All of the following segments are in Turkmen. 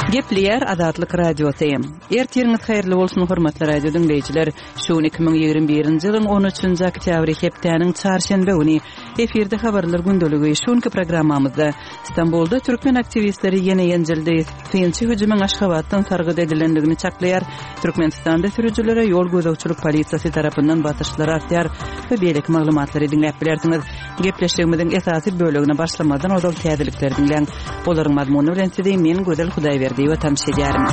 Gepleýär Azatlyk Radiosy. Ertiriňiz haýyrly bolsun, hormatly radio diňleýjiler. Şu gün 2021-nji ýylyň 13-nji oktýabry, hepdäniň çarşenbe güni. Efirde habarlar gündeligi. Şu günki programmamyzda Stambulda türkmen aktiwistleri ýene ýenjildi. Synçy hüjümiň Aşgabatdan sargyt edilendigini çaklaýar. Türkmenistanda sürüjilere ýol gözegçilik polisiýasy tarapyndan basyşlar artýar we beýleki maglumatlary diňläp bilersiňiz. Gepleşigimiziň esasy bölegine başlamazdan ozal täzelikleri diňläň. Olaryň mazmuny bilen sizi men Gözel Hudaýberdiýewa tanyş edýärin.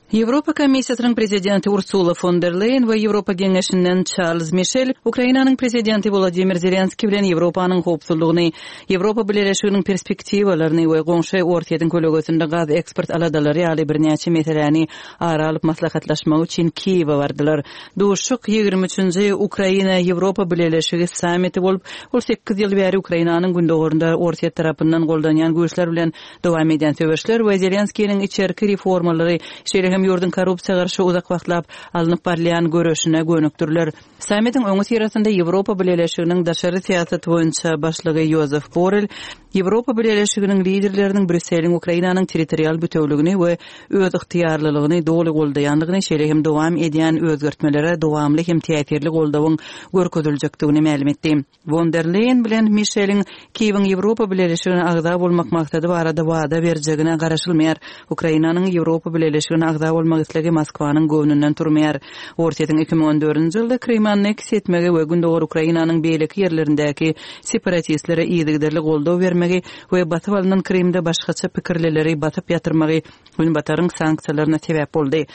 Ýewropa Komissiýasynyň Prezidenti Ursula fon der Leýen we Ýewropa Geňeşinden Çarlz Mişel Ukrainanyň Prezidenti Wolodymyr Zelenskiý bilen Ýewropanyň howpsuzlygyny, Ýewropa Bileleşiginiň perspektiwalaryny we goňşy Orsýetiň kölegesinde gaz eksport aladalary ýaly birnäçe meseläni ara alyp maslahatlaşmak üçin Kiýewe bardylar. Duşuşyk ýigrimi üçünji Ukraina-Ýewropa Bileleşigi sammiti bolup, ol sekiz ýyl bäri Ukrainanyň gündogarynda Orsýet tarapyndan goldanýan güýçler bilen Dowam edýän söweşler we Zelenskiniň içerki reformalary, şeýle hem ýurduň korrupsiýa garşy uzak wagtlap alnyp barylýan göreşine gönükdiriler. Sammitiň öňüsyrasynda Ýewropa Bileleşiginiň daşary syýasat boýunça başlygy Ýozef Borrel Ýewropa Bileleşiginiň liderleriniň Brýusseliň Ukrainanyň territorial bütewligini we özygtyýarlylygyny doly goldaýandygyny, şeýle hem dowam edýän özgertmelere dowamly hem täsirli goldawyň görkeziljekdigini mälim etdi. Won der Leýen bilen Mişeliň Kiýewiň Ýewropa Bileleşigine agza bolmak maksady barada wada berjegine garaşylmaýar. Ukrainanyň Ýewropa Bileleşigine agza bolmak islegi Moskwanyň göwnünden turmaýar. Orsýetiň 2014-nji ýylda Krymy anneksiýa etmegi we gündogar Ukrainanyň beýleki ýerlerindäki separatistlere yzygiderli goldaw bermegi we basyp alnan Krymda başgaça pikirlileri basyp ýatyrmagy Günbataryň sanksiýalaryna sebäp boldy.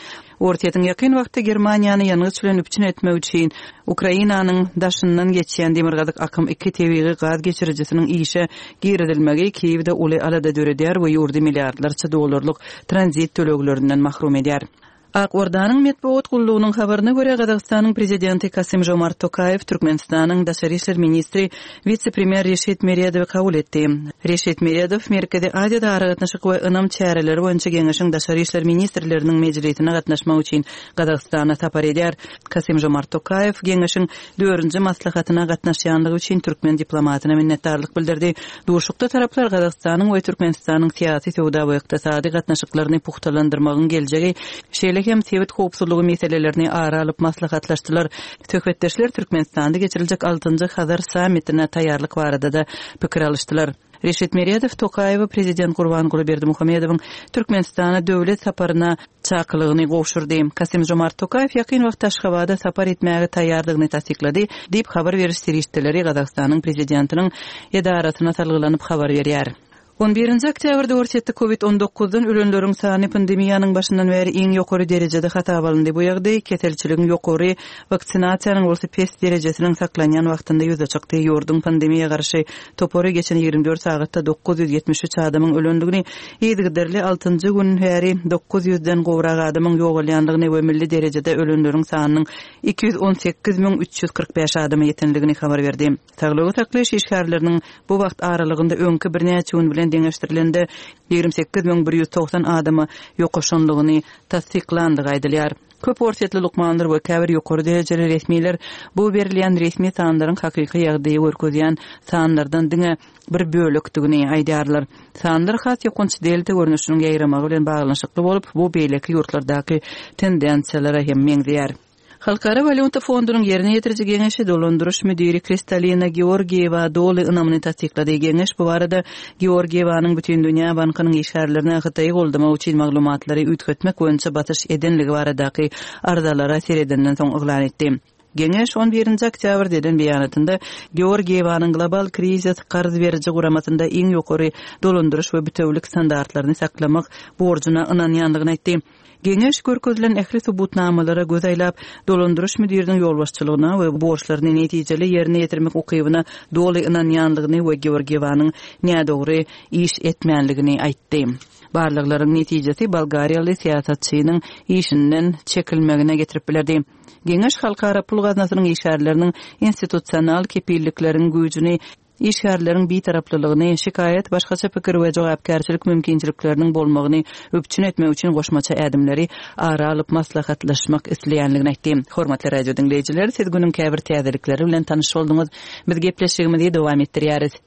Orsýetiň ýakyn wagtda Germaniýany ýangyç bilen üpjün etmek üçin Ukrainanyň daşyndan geçýän Demirgazyk akym iki tebigy gaz geçirijisiniň işe girizilmegi Kiýewde uly alada döredýär we ýurdy milliardlarça dollarlyk tranzit töleglerinden mahrum edýär. Ak Ordanyň metbugat gullugynyň habaryna görä, Gazagystanyň Prezidenti Kasym-Žomart Tokaýew Türkmenistanyň daşary işler ministri, wise-premýer Reşit Meredowy kabul etdi. Reşit Meredow Merkezi Aziýada aragatnaşyk we ynam çäreleri boýunça geňeşiň daşary işler ministrleriniň mejlisine gatnaşmak üçin Gazagystana sapar edýär. Kasym-Žomart Tokaýew geňeşiň dördünji maslahatyna gatnaşýandygy üçin türkmen diplomatyna minnetdarlyk bildirdi. Duşuşykda taraplar Gazagystanyň we Türkmenistanyň syýasy, söwda we ykdysady gatnaşyklaryny pugtalandyrmagyň geljegi, şeýle hem sebit howpsuzlygy meselelerini ara alyp maslahatlaşdylar. Söhbetdeşler Türkmenistanda geçiriljek altynjy Hazar sammitine taýýarlyk barada-da pikir alyşdylar. Reşit Meredow Tokaýewe Prezident Gurbanguly Berdimuhamedowyň Türkmenistana döwlet saparyna çakylygyny gowşurdy. Kasym-Žomart Tokaýew ýakyn wagtda Aşgabada sapar etmäge taýýardygyny tassyklady, diýip, habar beriş serişdeleri Gazagystanyň Prezidentiniň edarasyna salgylanyp habar berýär. On birinji oktýabrda Orsýetde Covid on dokuzdan ölenleriň sany pandemiýanyň başyndan bäri iň ýokary derejede hasaba alyndy. Bu ýagdaý keselçiligiň ýokary, waksinasiýanyň bolsa pes derejesiniň saklanýan wagtynda ýüze çykdy. Ýurduň pandemiýa garşy topary geçen 24 sagatda 973 adamyň ölendigini, yzygiderli altynjy gün bäri 900 den gowrak adamyň ýogalýandygyny we milli derejede ölenleriň sanynyň 218 345 adama ýetendigini habar berdi. Saglygy saklaýyş işgärleriniň bu wagt aralygynda öňki birnäçe gün bilen deňeşdirilende 28 190 adama ýokaşanlygyny tassyklandygy aýdylýar. Köp orsýetli lukmanlar we käbir ýokary derejeli resmiler bu berilýän resmi sanlaryň hakyky ýagdaýy görkezýän sanlardan diňe bir bölekdigini aýdýarlar. Sanlar has ýokanç delta görnüşiniň ýaýramagy bilen baglanyşykly bolup, bu beýleki ýurtlardaky tendensiýalara hem meňzeýär. Halkara walýuta fondunyň ýerine ýetiriji geňeşi dolandyryş müdiri Kristalina Georgiýewa doly ynamyny tassyklady. Geňeş bu barada Georgiýewanyň Bütindünýä bankynyň işgärlerine Hytaýy goldamak üçin maglumatlary üýtgetmek boýunça basyş edenligi baradaky arzalara seredenden soň yglan etdi. Geňeş on birinji oktýabrda eden beýanatynda Georgiýewanyň Global krizis karz beriji guramasynda iň ýokary dolandyryş we bitewülik standartlaryny saklamak borjuna ynanýandygyny aýtdy. Geňeş görkezilen ähli subutnamalara göz aýlap, dolandyryş müdiriniň ýolbaşçylygyna we borçlaryny netijeli ýerine ýetirmek ukybyna doly ynanýandygyny we Georgiýewanyň nädogry iş etmänligini aýtdy. Barlaglaryň netijesi bolgariýaly syýasatçynyň işinden çekilmegine getirip bilerdi. Geňeş Halkara pul gaznasynyň işgärleriniň institusional kepillikleriň güýjüni işgärleriň bitaraplylygyny, şikaýat, başgaça pikir we jogapkärçilik mümkinçilikleriniň bolmagyny üpjün etmek üçin goşmaça ädimleri ara alyp maslahatlaşmak isleýändigini aýtdy. Hormatly radio diňleýjiler, siz günüň käbir täzelikleri bilen tanyş bolduňyz. Biz gepleşigimizi dowam etdirýäris.